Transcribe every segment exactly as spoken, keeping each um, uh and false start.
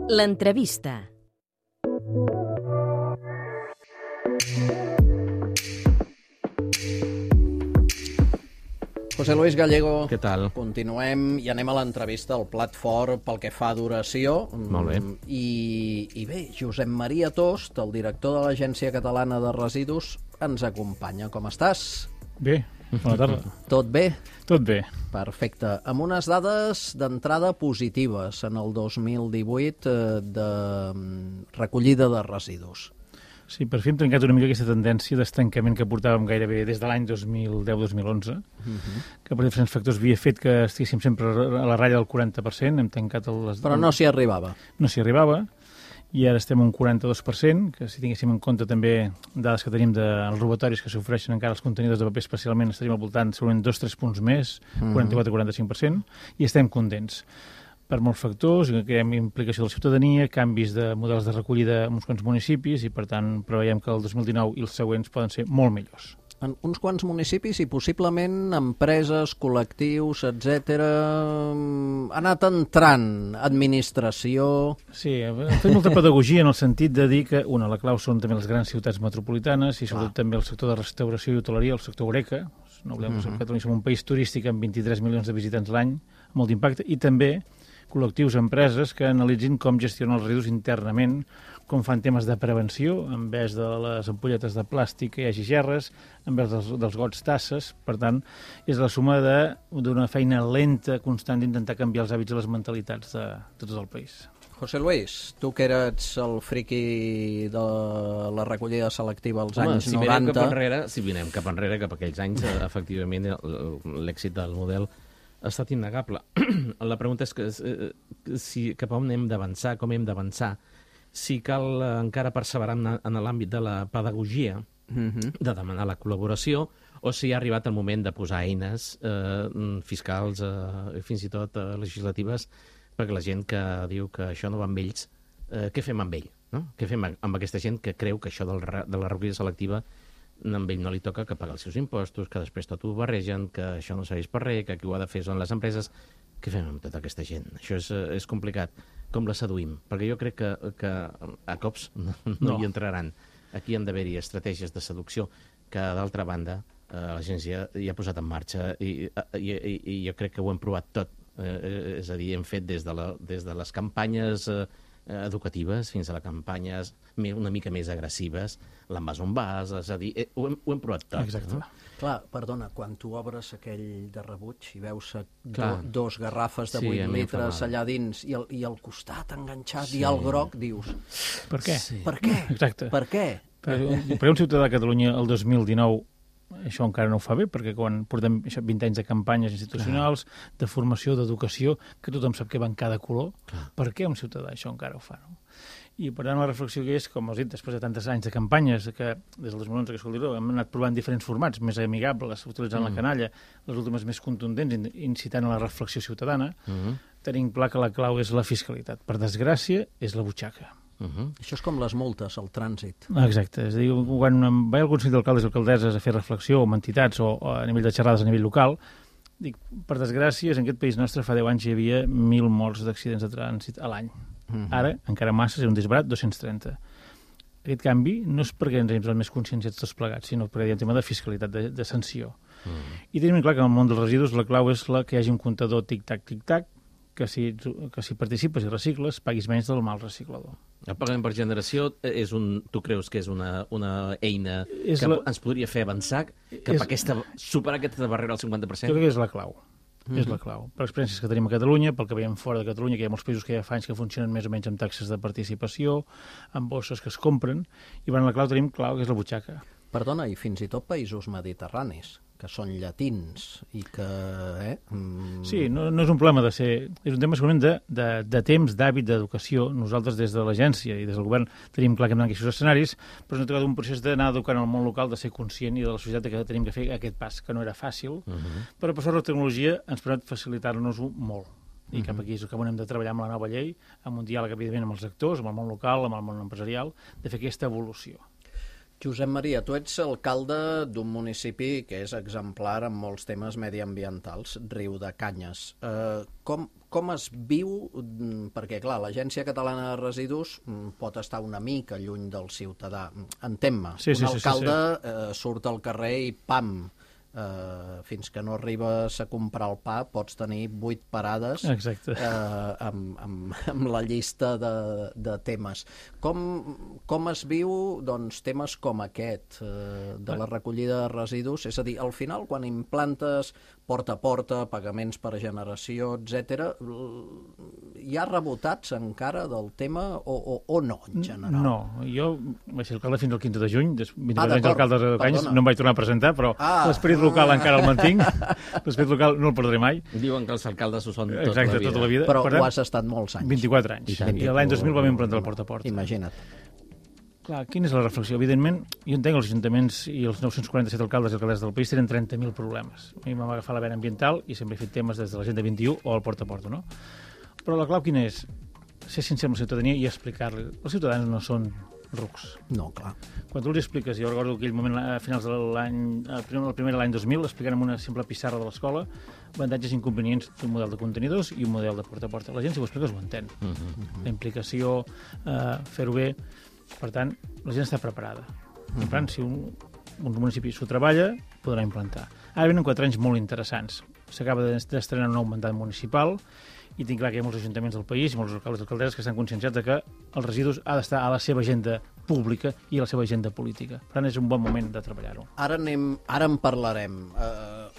L'entrevista. José Luis Gallego, què tal? Continuem i anem a l'entrevista, al plat fort pel que fa a duració. Molt bé. I, I bé, Josep Maria Tost, el director de l'Agència Catalana de Residus, ens acompanya. Com estàs? Bé, bona tarda. Tot bé? Tot bé. Perfecte. Amb unes dades d'entrada positives en el dos mil divuit eh, de recollida de residus. Sí, per fi hem trencat una mica aquesta tendència d'estancament que portàvem gairebé des de l'any dos mil deu dos mil onze, uh-huh. que per diferents factors havia fet que estiguéssim sempre a la ratlla del quaranta per cent. Hem tancat les... Però no s'hi arribava. No s'hi arribava, i ara estem a un quaranta-dos per cent, que si tinguéssim en compte també dades que tenim dels robatoris que s'ofereixen encara als contenidors de paper especialment, estaríem al voltant segurament dos o tres punts més, quaranta-quatre a quaranta-cinc per cent, i estem contents. Per molts factors, que hi ha implicació de la ciutadania, canvis de models de recollida en uns quants municipis, i per tant preveiem que el dos mil dinou i els següents poden ser molt millors. En uns quants municipis i possiblement empreses, col·lectius, etcètera. Ha anat entrant administració... Sí, hem fet molta pedagogia en el sentit de dir que, una, la clau són també les grans ciutats metropolitanes i sobretot també el sector de restauració i hoteleria, el sector Horeca. No oblidem que Catalunya som un país turístic amb vint-i-tres milions de visitants l'any, amb molt d'impacte, i també col·lectius, empreses que analitzin com gestionen els residus internament, com fan temes de prevenció, en vez de les ampolletes de plàstic que hi hagi gerres, en vez dels, dels gots tasses. Per tant, és la suma d'una feina lenta, constant, d'intentar canviar els hàbits i les mentalitats de, de tot el país. José Luis, tu que eres el friqui de la recollida selectiva als Home, anys si noranta... Cap enrere, si vinem cap enrere, cap a aquells anys, efectivament, l'èxit del model ha estat innegable. La pregunta és que, si cap on hem d'avançar, com hem d'avançar, si cal encara perseverar en l'àmbit de la pedagogia, uh-huh. de demanar la col·laboració, o si ha arribat el moment de posar eines eh, fiscals, eh, fins i tot eh, legislatives, perquè la gent que diu que això no va amb ells, eh, què fem amb ell? No? Què fem amb aquesta gent que creu que això del, de la recollida selectiva amb ell no li toca que pagar els seus impostos, que després tot ho barregen, que això no serveix per res, que qui ho ha de fer són les empreses? Què fem amb tota aquesta gent? Això és, és complicat. Com la seduïm? Perquè jo crec que, que a cops no, no, no hi entraran. Aquí han d'haver-hi estratègies de seducció que, d'altra banda, eh, l'agència hi ha posat en marxa i, i, i, i jo crec que ho hem provat tot. Eh, és a dir, hem fet des de, la, des de les campanyes eh, educatives fins a les campanyes una mica més agressives, l'Amazon Bus, és a dir, eh, ho, hem, ho hem provat tot. Exacte. No? Clar, perdona, quan tu obres aquell de rebuig i veus do, Clar. dos garrafes de Sí, vuit a mi em fa litres mal. allà dins i, el, i al costat enganxat Sí. i al groc, dius, Per què? Sí. per què? Exacte. Per què? Per, per un ciutadà de Catalunya el dos mil dinou això encara no ho fa bé, perquè quan portem això, vint anys de campanyes institucionals, clar, de formació, d'educació, que tothom sap que va en cada color, clar, per què un ciutadà això encara ho fa? No? I per tant la reflexió que és, com has dit, després de tantes anys de campanyes, que des del dos mil onze que escolti, hem anat provant diferents formats més amigables, utilitzant mm. la canalla, les últimes més contundents, incitant a la reflexió ciutadana, mm-hmm. tenim clar que la clau és la fiscalitat. Per desgràcia, és la butxaca. Uh-huh. Això és com les multes al trànsit. Exacte, és a dir, quan va al Consell d'Alcaldes i Alcaldesses a fer reflexió amb entitats o, o a nivell de xerrades a nivell local, dic, per desgràcia, en aquest país nostre fa deu anys hi havia mil morts d'accidents de trànsit a l'any. Uh-huh. Ara, encara massa, és un disbarat, dos-cents trenta. Aquest canvi no és perquè ens hem posat més conscienciats tots plegats, sinó perquè hi ha un tema de fiscalitat, de, de sanció. Uh-huh. I tenim clar que en el món dels residus la clau és la que hi hagi un comptador tic-tac, tic-tac, que si, que si participes i recicles, paguis menys del mal reciclador. El pagament per generació és un, tu creus que és una, una eina és que la... ens podria fer avançar cap és... a aquesta, superar aquesta barrera al cinquanta per cent? Jo crec que és la clau. Mm-hmm. És la clau. Per experiències que tenim a Catalunya, pel que veiem fora de Catalunya, que hi ha molts països que ja fa anys que funcionen més o menys amb taxes de participació, amb bosses que es compren, i per la clau tenim clau, que és la butxaca. Perdona, i fins i tot països mediterranis, que són llatins i que... Eh, mm... Sí, no, no és un problema de ser... És un tema segurament de, de, de temps, d'hàbit, d'educació. Nosaltres des de l'agència i des del govern tenim clar que hem d'anar a aquests escenaris, però ens ha tocat un procés d'anar educant al món local, de ser conscient i de la societat que tenim que fer aquest pas, que no era fàcil, uh-huh. però per sort la tecnologia ens permet facilitar-nos-ho molt. I cap aquí és cap on hem de treballar amb la nova llei, amb un diàleg, evidentment, amb els actors, amb el món local, amb el món empresarial, de fer aquesta evolució. Josep Maria, tu ets alcalde d'un municipi que és exemplar en molts temes mediambientals, Riudecanyes. Eh, com, com es viu? Perquè, clar, l'Agència Catalana de Residus pot estar una mica lluny del ciutadà. Entén-me, Sí, sí, un sí, sí, alcalde eh, surt al carrer i pam, Uh, fins que no arribes a comprar el pa pots tenir vuit parades Exacte. uh, amb, amb, amb la llista de, de temes. Com, com es viu doncs, temes com aquest uh, de la recollida de residus? És a dir, al final, quan implantes porta a porta, pagaments per generació, etcètera, hi ha rebotats encara del tema o, o, o no, en general? No, jo vaig ser alcalde fins al quinze de juny, vint-i-quatre Ah, anys d'acord, alcalde de Riudecanyes, perdona. no em vaig tornar a presentar, però Ah. l'esperit local encara el mantinc, l'esperit local no el perdré mai. Diuen que els alcaldes ho són tota Exacte, la vida. tota la vida. Però Per ho tant, has estat molts anys. vint-i-quatre anys. I tant. I l'any dos mil vam implantar el porta a porta. Imagina't. Clar, quina és la reflexió? Evidentment, jo entenc que els ajuntaments i els nou-cents quaranta-set alcaldes i alcaldes del país tenen trenta mil problemes. A mi m'ha agafat la vena ambiental i sempre he fet temes des de l'Agenda vint i u o el porta a porta, no? Però la clau quina és? Ser sincer amb la ciutadania i explicar-li. Els ciutadans no són rucs. No, clar. Quan tu els expliques, jo recordo aquell moment a finals de l'any, el primer, el primer de l'any dos mil, explicant amb una simple pissarra de l'escola avantatges i inconvenients d'un model de contenidors i un model de porta a porta. La gent, si ho expliques, ho entén. Uh -huh. La implicació, eh, fer-ho bé. Per tant, la gent està preparada. Per tant, si un, un municipi s'ho treballa, podrà implantar. Ara venen quatre anys molt interessants. S'acaba d'estrenar un nou mandat municipal i tinc clar que hi ha molts ajuntaments del país i molts alcaldes i alcaldesses que estan conscienciats de que els residus ha d'estar a la seva agenda pública i a la seva agenda política. Per tant, és un bon moment de treballar-ho. Ara, anem, ara en parlarem. Uh,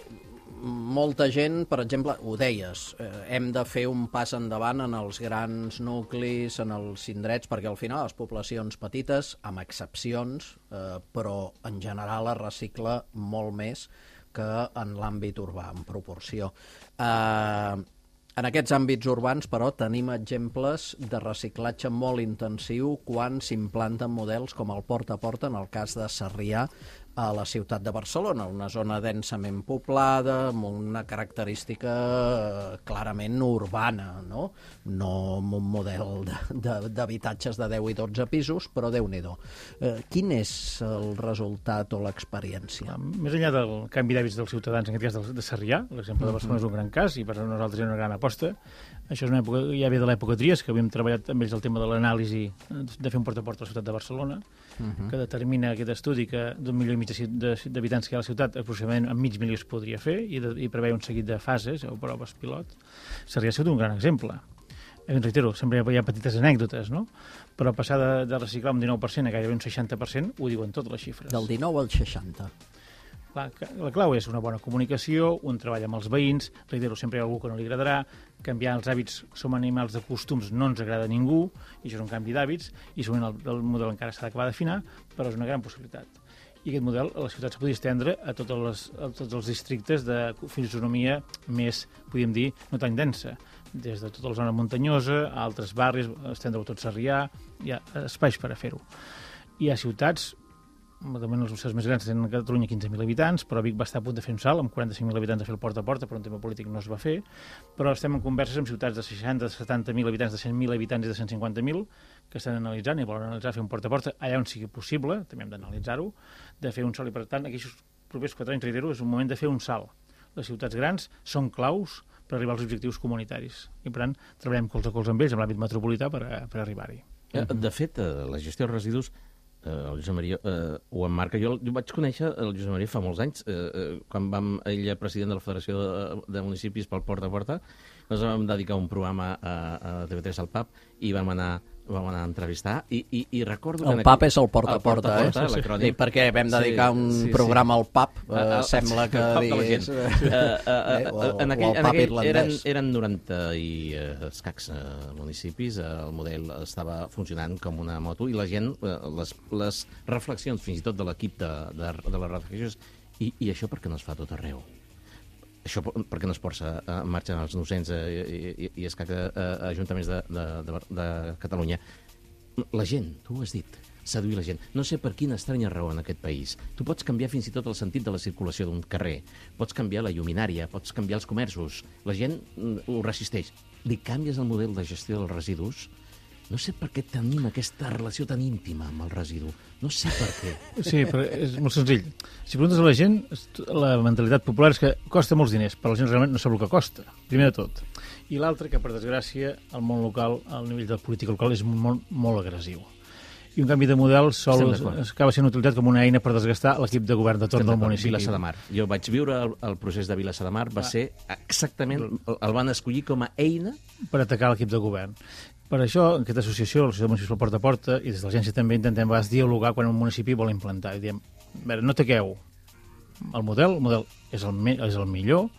molta gent, per exemple, ho deies, eh, hem de fer un pas endavant en els grans nuclis, en els indrets, perquè al final les poblacions petites, amb excepcions, eh, però en general es recicla molt més que en l'àmbit urbà, en proporció. Eh, En aquests àmbits urbans, però, tenim exemples de reciclatge molt intensiu quan s'implanten models com el porta a porta, en el cas de Sarrià, a la ciutat de Barcelona, una zona densament poblada, amb una característica clarament urbana, no? No amb un model d'habitatges de, de deu i dotze pisos, però Déu-n'hi-do. Eh, quin és el resultat o l'experiència? Més enllà del canvi d'hàbits dels ciutadans, en aquest cas de Sarrià, l'exemple de Barcelona és un gran cas i per nosaltres és una gran aposta. Això és una època, ja ve de l'època Trias, que havíem treballat amb ells el tema de l'anàlisi de fer un porta a porta a la ciutat de Barcelona, uh-huh. que determina aquest estudi que d'un milió i mig d'habitants que hi ha a la ciutat, aproximadament amb mig milió es podria fer, i, de, i preveia un seguit de fases o proves pilot. Sarrià ha sigut un gran exemple. Em reitero, sempre hi ha petites anècdotes, no? Però passar de, de reciclar un dinou per cent a gairebé un seixanta per cent, ho diuen totes les xifres. Del dinou al seixanta. La, la clau és una bona comunicació, un treball amb els veïns, reitero, sempre hi ha algú que no li agradarà, canviar els hàbits, som animals de costums, no ens agrada a ningú, i això és un canvi d'hàbits, i segurament el, el model encara s'ha d'acabar d'afinar, però és una gran possibilitat. I aquest model a la ciutat es podria estendre a, totes les, a tots els districtes de fisonomia més, podríem dir, no tan densa, des de tota la zona muntanyosa, a altres barris, estendre-ho tot Sarrià, hi ha espais per a fer-ho. Hi ha ciutats, de moment els museus més grans tenen a Catalunya quinze mil habitants, però Vic va estar a punt de fer un salt, amb quaranta-cinc mil habitants a fer el porta a porta, però un tema polític no es va fer, però estem en converses amb ciutats de seixanta, setanta mil habitants, de cent mil habitants i de cent cinquanta mil, que estan analitzant i volen analitzar fer un porta a porta allà on sigui possible, també hem d'analitzar-ho, de fer un salt, i per tant, aquests propers quatre anys, reitero, és un moment de fer un salt. Les ciutats grans són claus per arribar als objectius comunitaris, i per tant, treballem colze a colze amb ells, en l'àmbit metropolità, per, per arribar-hi. De fet, la gestió de residus, el Josep Maria eh, ho emmarca. Jo, jo vaig conèixer el Josep Maria fa molts anys, eh, eh, quan vam, ell president de la Federació de, de Municipis pel Porta a Porta, ens vam dedicar un programa a, a T V tres al P A P i vam anar, vam anar a entrevistar i, i, i recordo... El que P A P és el porta a porta, porta, eh? porta, sí, sí. I perquè vam dedicar un sí, sí, programa sí. al P A P, eh, uh, sembla que digués... Uh, uh, uh, en aquell, en aquell eren, eren noranta i uh, escacs uh, municipis, uh, el model estava funcionant com una moto i la gent, uh, les, les reflexions fins i tot de l'equip de, de, de les reflexions, i, i això per què no es fa tot arreu? Això per què no es posa en marxa els nou-cents i, i, i escacs uh, ajuntaments de, de, de, de Catalunya? La gent, tu ho has dit, seduir la gent. No sé per quina estranya raó en aquest país. Tu pots canviar fins i tot el sentit de la circulació d'un carrer, pots canviar la lluminària, pots canviar els comerços. La gent ho resisteix. Li canvies el model de gestió dels residus no sé per què tenim aquesta relació tan íntima amb el residu. No sé per què. Sí, però és molt senzill. Si preguntes a la gent, la mentalitat popular és que costa molts diners, però la gent realment no sap el que costa, primer de tot. I l'altre, que per desgràcia, el món local, al nivell de política local, és molt, molt agressiu. I un canvi de model sol acaba sent utilitzat com una eina per desgastar l'equip de govern de torn del municipi. Vilassar de Mar. Jo vaig viure el, el procés de Vilassar de Mar, va ah. ser exactament, el van escollir com a eina per atacar l'equip de govern. Per això, en aquesta associació, l'associació municipal Porta a Porta, i des de l'agència també intentem a vegades dialogar quan un municipi vol implantar. I diem, a veure, no ataqueu el model, el model és el, me, és el millor,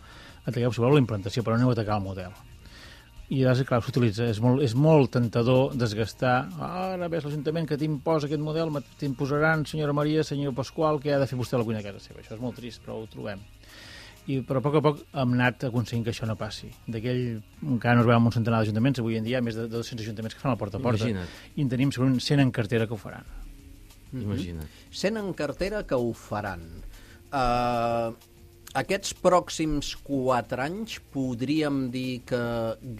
ataqueu, si voleu, la implantació, però no aneu a atacar el model. I llavors, clar, s'utilitza. És molt, és molt tentador desgastar. Ah, ara ves l'Ajuntament que t'imposa aquest model, t'imposaran, senyora Maria, senyor Pasqual, que ha de fer vostè la cuina a casa seva. Això és molt trist, però ho trobem. I, però a poc a poc hem anat aconseguint que això no passi. D'aquell, encara no es veuen un centenar d'ajuntaments, avui en dia hi ha més de dos-cents ajuntaments que fan el porta a porta. Imagina't. I en tenim segurament cent en cartera que ho faran. Imagina't. cent en cartera que ho faran. Uh, aquests pròxims quatre anys podríem dir que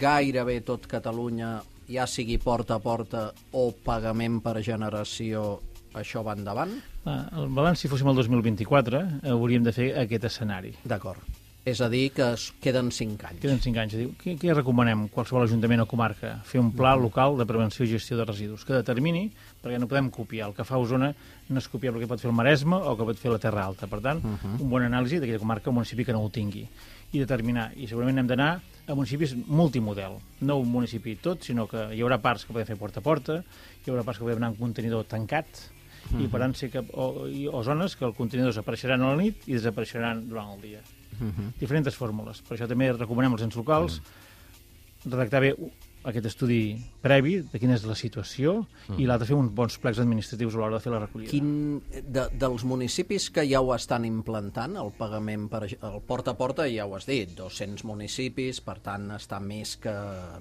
gairebé tot Catalunya, ja sigui porta a porta o pagament per generació, això va endavant? El balanç, si fóssim el dos mil vint-i-quatre, hauríem de fer aquest escenari. D'acord. És a dir, que es queden cinc anys. Queden cinc anys. Què, què recomanem qualsevol ajuntament o comarca? Fer un pla local de prevenció i gestió de residus que determini, perquè no podem copiar. El que fa Osona no és copiar el que pot fer el Maresme o que pot fer la Terra Alta. Per tant, uh -huh. un bon anàlisi d'aquella comarca o municipi que no ho tingui. I determinar. I segurament hem d'anar a municipis multimodel. No un municipi tot, sinó que hi haurà parts que podem fer porta a porta, hi haurà parts que podem anar amb un contenidor tancat, i per tant sí que, o, o zones que els contenidors apareixeran a la nit i desapareixeran durant el dia. Uh-huh. Diferents fórmules. Per això també recomanem als ens locals uh-huh. redactar bé aquest estudi previ de quina és la situació uh-huh. i l'altre fer uns bons plecs administratius a l'hora de fer la recollida. Quin, de, dels municipis que ja ho estan implantant, el pagament per el porta a porta, ja ho has dit, dos-cents municipis, per tant està més que,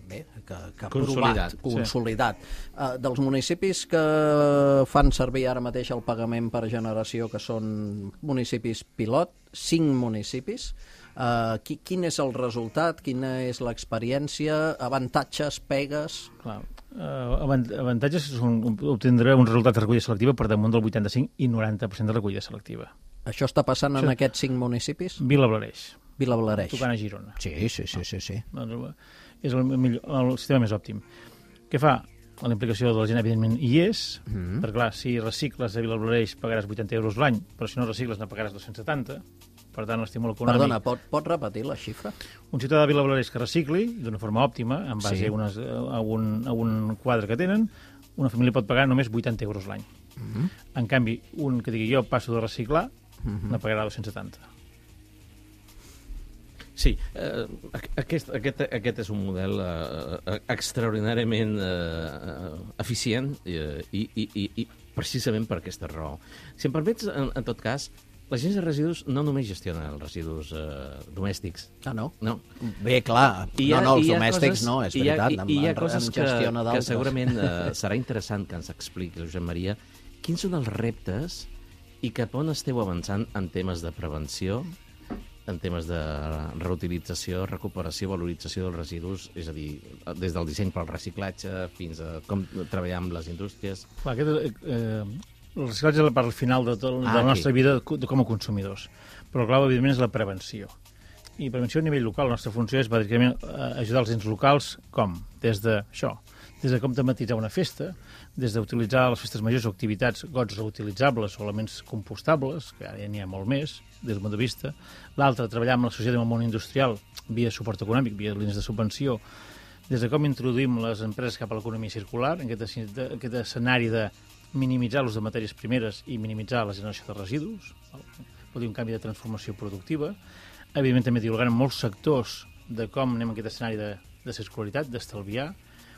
bé, que, que consolidat. Provat, consolidat. Sí. Uh, dels municipis que fan servir ara mateix el pagament per generació, que són municipis pilot, cinc municipis, Uh, qui, quin és el resultat, quina és l'experiència, avantatges, pegues? Clar, uh, avantatges són obtindre un resultat de recollida selectiva per damunt del vuitanta-cinc i noranta per cent de recollida selectiva. Això està passant Això... en aquests cinc municipis? Vila Blareix. Vila Blareix. Tocant a Girona. Sí, sí, sí. sí, sí. Doncs és el, millor, el sistema més òptim. Què fa? La implicació de la gent, evidentment, hi és, mm. perquè, clar, si recicles a Vila Blareix pagaràs vuitanta euros l'any, però si no recicles ne pagaràs dos-cents setanta. Per tant, l'estímul econòmic... Perdona, pot, pot repetir la xifra? Un ciutadà de Vila Blareix que recicli d'una forma òptima, en base sí. a, unes, a, un, a un quadre que tenen, una família pot pagar només vuitanta euros l'any. Uh -huh. En canvi, un que digui jo passo de reciclar, uh -huh. ne pagarà dos-cents setanta. Sí, eh, aquest, aquest, aquest és un model eh, extraordinàriament eh, eficient eh, i, i, i, i precisament per aquesta raó. Si em permets, en, en tot cas, l'agència de residus no només gestiona els residus eh, domèstics. Ah, no? No. Bé, clar, I ha, no, no, els i domèstics coses, no, és veritat. I hi ha, i, i hi ha coses que, que segurament eh, uh, serà interessant que ens expliqui, Josep Maria, quins són els reptes i cap on esteu avançant en temes de prevenció, en temes de reutilització, recuperació, valorització dels residus, és a dir, des del disseny pel reciclatge fins a com treballar amb les indústries. Clar, aquest, eh, el reciclatge és la part final de, tot, ah, de la nostra vida de, com a consumidors, però clar, evidentment, és la prevenció. I prevenció a nivell local, la nostra funció és bàsicament ajudar els ens locals, com? Des de això, des de com tematitzar una festa, des d'utilitzar les festes majors o activitats, gots reutilitzables o elements compostables, que ara ja n'hi ha molt més, des del punt de vista. L'altre, treballar amb la societat i amb el món industrial via suport econòmic, via línies de subvenció, des de com introduïm les empreses cap a l'economia circular, en aquest, aquest escenari de minimitzar l'ús de matèries primeres i minimitzar la generació de residus, vol dir un canvi de transformació productiva. Evidentment, també dialogant amb molts sectors de com anem en aquest escenari de, de circularitat, d'estalviar,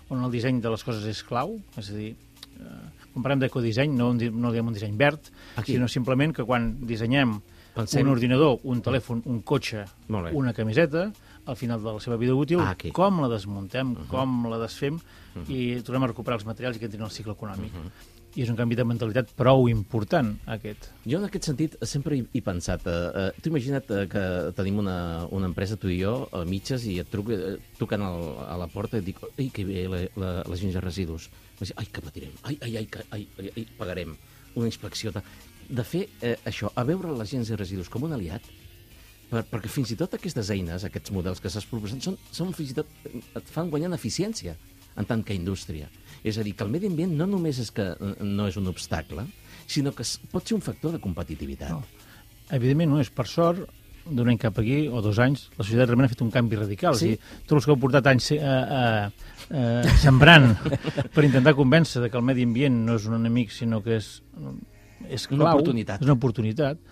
on el disseny de les coses és clau, és a dir, eh, quan parlem d'ecodisseny no, no diem un disseny verd, Aquí. sinó simplement que quan dissenyem Pensem... un ordinador, un telèfon, un cotxe, una camiseta, al final de la seva vida útil, ah, com la desmuntem, uh -huh. com la desfem uh -huh. i tornem a recuperar els materials i que entrin al cicle econòmic. Uh -huh. I és un canvi de mentalitat prou important, aquest. Jo, en aquest sentit, sempre he, he pensat... Eh, eh, tu imagina't eh, que tenim una, una empresa, tu i jo, a mitges, i et truco, eh, truquen al, a la porta i et dic, ai, que bé, la, la, l'agència de residus. Ai, que patirem, ai, ai, ai, que, ai, ai, ai, pagarem una inspecció. De, de fer eh, això, a veure l'agència de residus com un aliat, per, perquè fins i tot aquestes eines, aquests models que s'has proposat, són, són fins i tot, et fan guanyar en eficiència en tant que indústria. És a dir, que el medi ambient no només és que no és un obstacle, sinó que pot ser un factor de competitivitat. No. Evidentment no és. Per sort, d'un any cap aquí, o dos anys, la societat realment ha fet un canvi radical. Sí? És dir, tots els que heu portat anys eh, eh, eh, sembrant per intentar convèncer que el medi ambient no és un enemic, sinó que és, és clau, una oportunitat. És una oportunitat.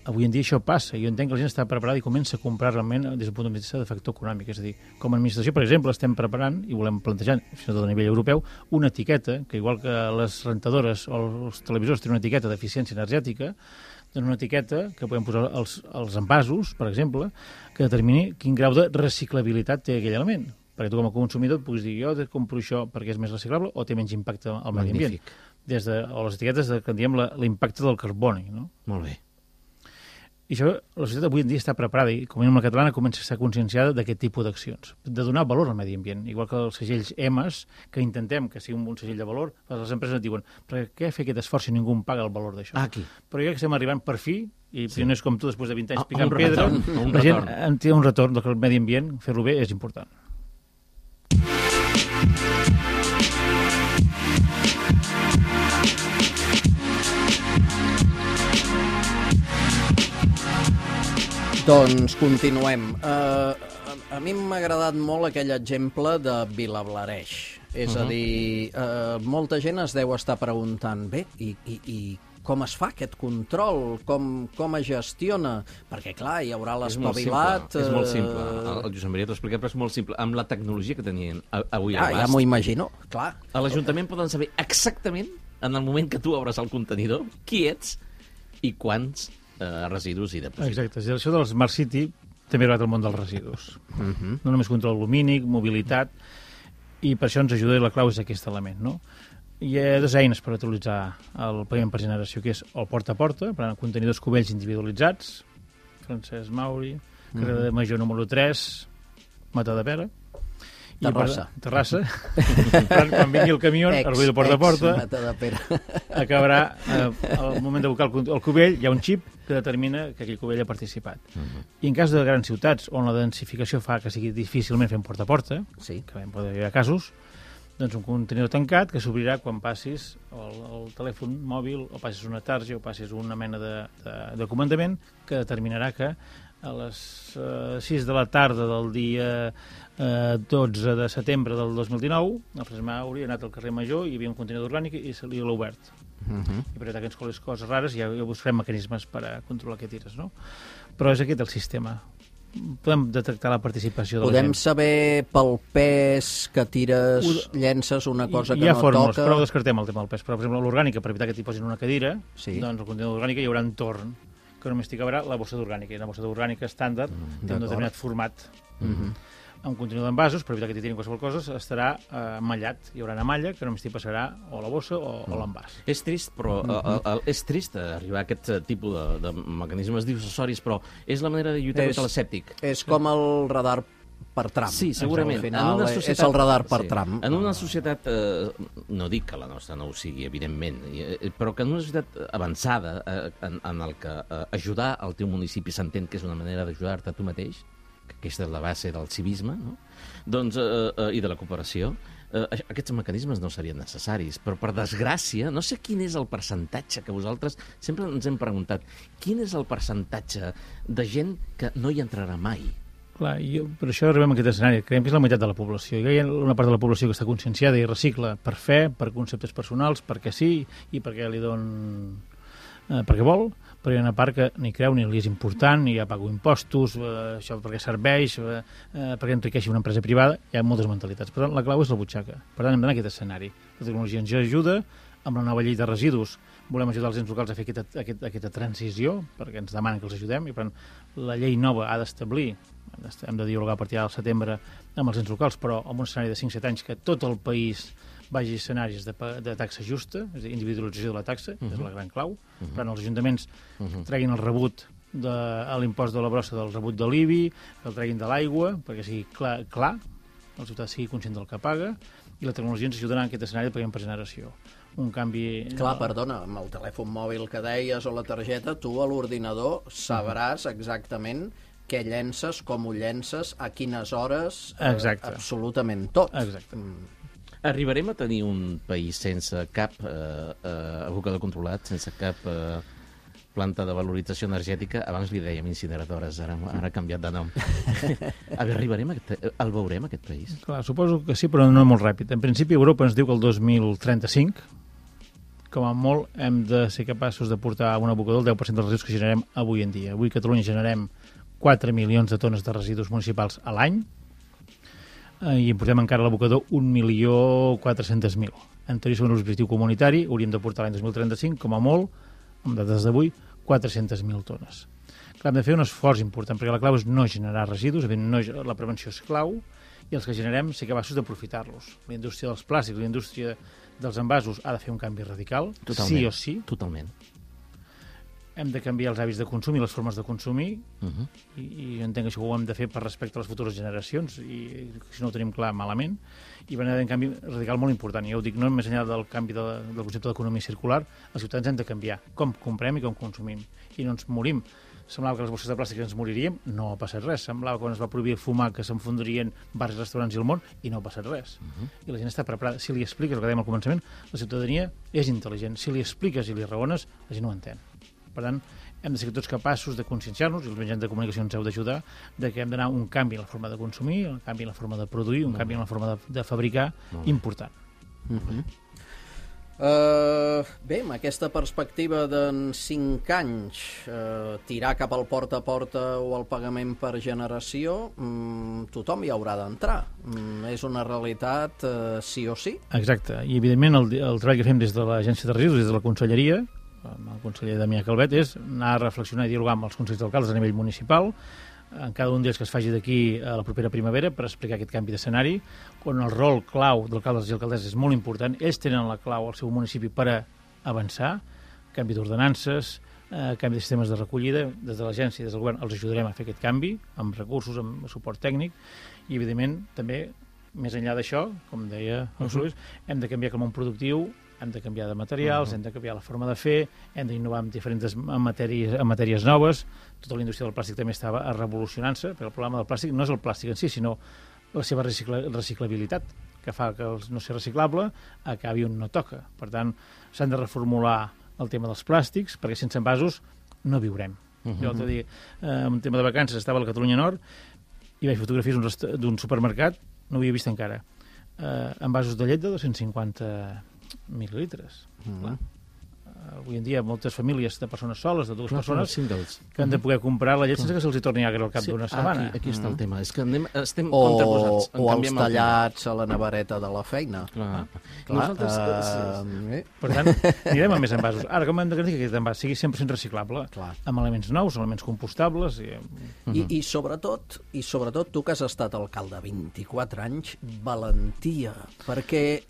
Avui en dia això passa. Jo entenc que la gent està preparada i comença a comprar realment des del punt de vista de factor econòmic. És a dir, com a administració, per exemple, estem preparant i volem plantejar, fins i tot a nivell europeu, una etiqueta, que igual que les rentadores o els televisors tenen una etiqueta d'eficiència energètica, doncs una etiqueta que podem posar als, als envasos, per exemple, que determini quin grau de reciclabilitat té aquell element. Perquè tu com a consumidor puguis dir, jo compro això perquè és més reciclable o té menys impacte al medi ambient. Des de, o les etiquetes de, que en diem l'impacte del carboni. No? Molt bé. I això, la societat avui en dia està preparada i, com a mínim la catalana, comença a estar conscienciada d'aquest tipus d'accions, de donar valor al medi ambient. Igual que els segells E M A S, que intentem que sigui un segell de valor, les empreses et diuen, per què fer aquest esforç si ningú em paga el valor d'això? Aquí. Però ja que estem arribant per fi, i sí. No és com tu després de vint anys a, picant a pedra, retorn, la gent en té un retorn, que el medi ambient, fer-lo bé, és important. Doncs continuem. Uh, a, a mi m'ha agradat molt aquell exemple de Vilablareix. És uh -huh. a dir, uh, molta gent es deu estar preguntant, bé, i, i, i com es fa aquest control? Com, com es gestiona? Perquè, clar, hi haurà l'espavilat... És molt simple. El, el Josep Maria t'ho explica, però és molt simple. Amb la tecnologia que tenien avui ah, a l'abast... Ja m'ho imagino, clar. A l'Ajuntament poden saber exactament, en el moment que tu obres el contenidor, qui ets i quants eh, residus hi depositen. Exacte. Això del Smart City també ha arribat al món dels residus. Uh -huh. No només control lumínic, mobilitat, i per això ens ajuda, i la clau és aquest element, no? Hi ha dues eines per utilitzar el pagament per generació, que és el porta a porta, per tant, contenidors cubells individualitzats, Francesc Mauri, carrer uh -huh. de Major número tres, Matadepera, Terrassa. I, Terrassa. quan, quan vingui el camió, el ruïdo porta a porta, acabarà, eh, al moment de buscar el, el cubell, hi ha un xip que determina que aquell cubell ha participat. Uh -huh. I en cas de grans ciutats on la densificació fa que sigui difícilment fer un porta a porta, sí. que poder haver casos, doncs un contenidor tancat que s'obrirà quan passis el, el telèfon mòbil o passis una tarja o passis una mena de, de, de comandament que determinarà que a les uh, sis de la tarda del dia uh, dotze de setembre del dos mil dinou el Francesc Mauri ha anat al carrer Major i hi havia un contenidor orgànic i se li l'ha obert. Uh -huh. I per tant que ens coles coses rares ja, ja buscarem mecanismes per a controlar què tires, no? Però és aquest el sistema. Podem detectar la participació de Podem la gent. saber pel pes que tires, Ho... llences una cosa que no toca... Hi ha fórmules, però descartem el tema del pes. Però, per exemple, l'orgànica, per evitar que t'hi posin una cadira, sí. doncs el contenidor d'orgànica hi haurà entorn, que només t'hi cabrà la bossa d'orgànica. I la bossa d'orgànica estàndard mm, té un determinat format. Mm -hmm. Un contenidor d'envasos, per evitar que t'hi tirin qualsevol cosa, estarà eh, mallat. Hi haurà una malla que només t'hi passarà o la bossa o, mm. o l'envàs. És trist, però mm -hmm. el, el, és trist arribar a aquest tipus de, de mecanismes dissuasoris, però és la manera de lluitar és, contra l'escèptic. És com el radar per tram. Sí, segurament. Al final una societat, és el radar per sí. tram. En una societat, eh, no dic que la nostra no ho sigui, evidentment, eh, però que en una societat avançada, eh, en, en el que eh, ajudar al teu municipi s'entén que és una manera d'ajudar-te a tu mateix, que aquesta és la base del civisme, no? Doncs, eh, eh, i de la cooperació, eh, aquests mecanismes no serien necessaris, però per desgràcia, no sé quin és el percentatge que vosaltres sempre ens hem preguntat, quin és el percentatge de gent que no hi entrarà mai? Clar, jo, per això arribem a aquest escenari. Creiem que és la meitat de la població. Hi ha una part de la població que està conscienciada i recicla per fe, per conceptes personals, perquè sí i perquè li don... Eh, perquè vol, però hi ha una part que ni creu ni li és important, ni ja pago impostos, eh, això perquè serveix, eh, perquè enriqueixi una empresa privada, hi ha moltes mentalitats. Per tant, la clau és la butxaca. Per tant, hem d'anar a aquest escenari. La tecnologia ens ajuda, amb la nova llei de residus volem ajudar els ens locals a fer aquesta, aquesta, aquesta transició, perquè ens demanen que els ajudem, i per tant, la llei nova ha d'establir, hem de dialogar a partir del setembre amb els ens locals, però amb un escenari de cinc set anys que tot el país vagi a escenaris de, de taxa justa, és a dir, individualització de la taxa, uh -huh. és la gran clau. Uh -huh. Per tant, els ajuntaments uh -huh. treguin el rebut de l'impost de la brossa del rebut de l'I B I, que el treguin de l'aigua, perquè sigui clar, clar, el ciutadà sigui conscient del que paga, i la tecnologia ens ajudarà en aquest escenari de pagament per generació. Un canvi... Clar, perdona, amb el telèfon mòbil que deies o la targeta, tu a l'ordinador sabràs exactament què llences, com ho llences, a quines hores, eh, absolutament tot. Exacte. Mm. Arribarem a tenir un país sense cap eh, eh, abocador controlat, sense cap eh, planta de valorització energètica? Abans li dèiem incineradores, ara, ara ha canviat de nom. A veure, arribarem a aquest, el veurem, aquest país? Clar, suposo que sí, però no molt ràpid. En principi, Europa ens diu que el dos mil trenta-cinc, com a molt, hem de ser capaços de portar un abocador el deu per cent dels residus que generem avui en dia. Avui a Catalunya generem quatre milions de tones de residus municipals a l'any, i importem encara a l'abocador un milió quatre-cents mil. En teoria, segons l'objectiu comunitari, hauríem de portar l'any dos mil trenta-cinc, com a molt, amb dades d'avui, quatre-centes mil tones. Clar, hem de fer un esforç important, perquè la clau és no generar residus, no, la prevenció és clau, i els que generem ser capaços d'aprofitar-los. La indústria dels plàstics, la indústria dels envasos ha de fer un canvi radical, totalment, sí o sí. Totalment. Hem de canviar els hàbits de consum i les formes de consumir, uh -huh. i, i entenc que això ho hem de fer per respecte a les futures generacions, i si no ho tenim clar, malament. I va haver un canvi radical molt important, i ja ho dic, no més enllà del canvi de, del concepte d'economia circular, els ciutadans hem de canviar com comprem i com consumim, i no ens morim. Semblava que les bosses de plàstic ens moriríem, no ha passat res. Semblava que quan es va prohibir fumar que s'enfondrien bars, restaurants i el món, i no ha passat res. Uh-huh. I la gent està preparada. Si li expliques el que dèiem al començament, la ciutadania és intel·ligent. Si li expliques i li raones, la gent ho entén. Per tant, hem de ser tots capaços de conscienciar-nos, i els mitjans de comunicació ens heu d'ajudar, de que hem d'anar un canvi en la forma de consumir, un canvi en la forma de produir, un canvi en la forma de, de fabricar, important. Uh-huh. Uh, bé, amb aquesta perspectiva d'en cinc anys uh, tirar cap al porta a porta o al pagament per generació, um, tothom hi haurà d'entrar. Um, és una realitat uh, sí o sí. Exacte, i evidentment el, el treball que fem des de l'Agència de Residus, des de la Conselleria, amb el conseller Damià Calvet, és anar a reflexionar i dialogar amb els consells d'alcaldes a nivell municipal, en cada un d'ells que es faci d'aquí a la propera primavera per explicar aquest canvi d'escenari, on el rol clau d'alcaldes i alcaldesses és molt important. Ells tenen la clau al seu municipi per a avançar, canvi d'ordenances, eh, canvi de sistemes de recollida. Des de l'agència i des del govern els ajudarem a fer aquest canvi, amb recursos, amb suport tècnic, i evidentment també, més enllà d'això, com deia el Luis, hem de canviar com un productiu, hem de canviar de materials, uh -huh. hem de canviar la forma de fer, hem d'innovar en diferents matèries, en matèries noves. Tota la indústria del plàstic també estava revolucionant-se, perquè el problema del plàstic no és el plàstic en si, sinó la seva recicla reciclabilitat, que fa que el no ser reciclable acabi on no toca. Per tant, s'han de reformular el tema dels plàstics, perquè sense envasos no viurem. Uh -huh. Jo l'altre dia, eh, en un tema de vacances, estava a la Catalunya Nord i vaig fotografies d'un supermercat, no ho havia vist encara, eh, envasos de llet de dos-cents cinquanta mil·lilitres. Mm. Clar. Uh, avui en dia moltes famílies de persones soles, de dues clar, persones, singles, que han de poder comprar la llet sense que se'ls torni agre al cap sí, d'una setmana. Aquí, aquí està el tema. És que anem, estem o, contraposats. O els tallats a la nevareta de la feina. Clar. Ah, clar. Nosaltres, uh, sí. Per tant, anirem amb més envasos. Ara, com hem de garantir que aquest envàs sigui cent per cent reciclable? Clar. Amb elements nous, elements compostables. I, uh-huh. I, i, sobretot, i sobretot tu que has estat alcalde vint-i-quatre anys, valentia. Perquè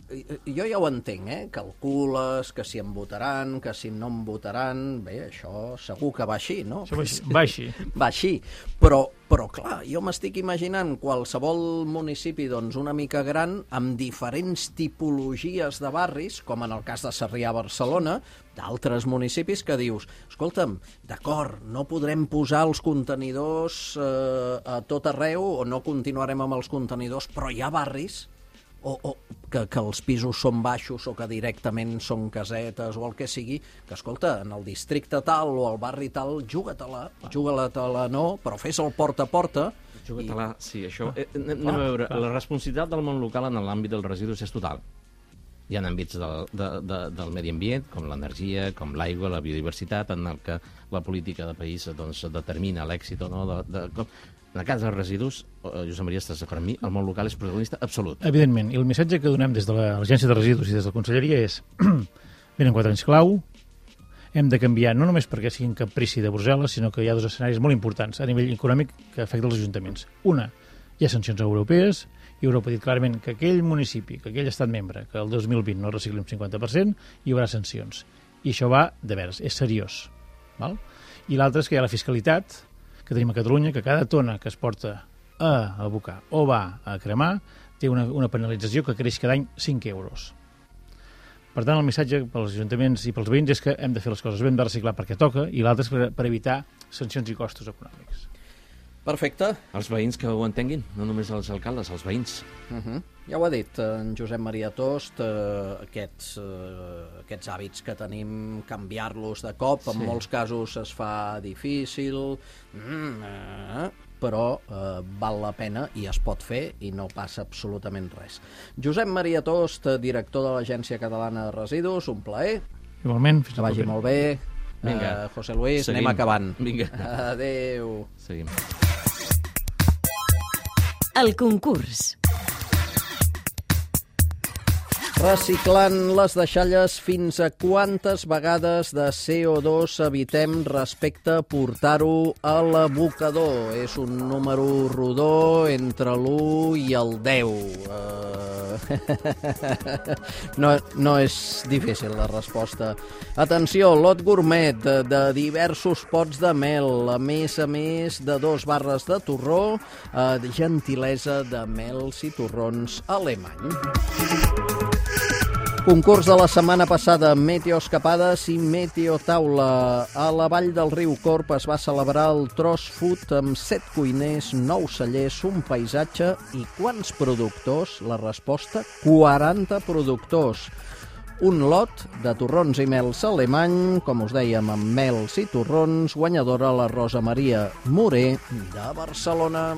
jo ja ho entenc, eh? Calcules que si em votaran, que si no em votaran, bé, això segur que va així, no? Això va així. Va així, va així. Però, però clar, jo m'estic imaginant qualsevol municipi doncs, una mica gran, amb diferents tipologies de barris, com en el cas de Sarrià a Barcelona, d'altres municipis que dius, escolta'm, d'acord, no podrem posar els contenidors eh, a tot arreu, o no continuarem amb els contenidors, però hi ha barris o, o que, que els pisos són baixos o que directament són casetes o el que sigui, que escolta, en el districte tal o al barri tal, juga-te-la, juga-la-te-la no, però fes el porta a porta. Juga-te-la, i... sí, això... Eh, anem clar, a veure, clar. La responsabilitat del món local en l'àmbit dels residus és total. Hi ha àmbits del, de, de, del medi ambient, com l'energia, com l'aigua, la biodiversitat, en el que la política de país doncs, determina l'èxit o no de, de, com... En el cas dels residus, Josep Maria, estàs d'acord amb mi, el món local és protagonista absolut. Evidentment, i el missatge que donem des de l'Agència de Residus i des de la Conselleria és venen quatre anys clau, hem de canviar, no només perquè siguin caprici de Brussel·les, sinó que hi ha dos escenaris molt importants a nivell econòmic que afecten els ajuntaments. Una, Hi ha sancions europees, i Europa ha dit clarament que aquell municipi, que aquell estat membre, que el dos mil vint no recicli un cinquanta per cent, hi haurà sancions. I això va de veres, és seriós. Val? I l'altre és que hi ha la fiscalitat que tenim a Catalunya, que cada tona que es porta a abocar o va a cremar té una, una penalització que creix cada any cinc euros. Per tant, el missatge pels ajuntaments i pels veïns és que hem de fer les coses bé, hem de reciclar perquè toca, i l'altre és per, per evitar sancions i costos econòmics. Perfecte. Els veïns que ho entenguin, no només els alcaldes, els veïns. Uh -huh. Ja ho ha dit en Josep Maria Tost, eh, aquests, eh, aquests hàbits que tenim, canviar-los de cop, sí. En molts casos es fa difícil, mm, eh, però eh, val la pena i es pot fer i no passa absolutament res. Josep Maria Tost, director de l'Agència Catalana de Residus, un plaer. Igualment, fins que vagi molt bé. Vinga. Uh, José Luis, Seguim. anem acabant. Vinga. Adéu. Seguim. El concurs. Reciclant les deixalles, fins a quantes vegades de C O dos evitem respecte a portar-ho a l'abocador? És un número rodó entre l'u i el deu. Uh... no, no és difícil la resposta. Atenció, lot gourmet de, de diversos pots de mel, a més a més de dos barres de torró, uh, gentilesa de mels i torrons alemany. Concurs de la setmana passada, Meteoescapades i Meteotaula. A la vall del riu Corp es va celebrar el Tros Food amb set cuiners, nou cellers, un paisatge i quants productors? La resposta, quaranta productors. Un lot de torrons i mels alemany, com us dèiem, amb mels i torrons, guanyadora la Rosa Maria Moré de Barcelona.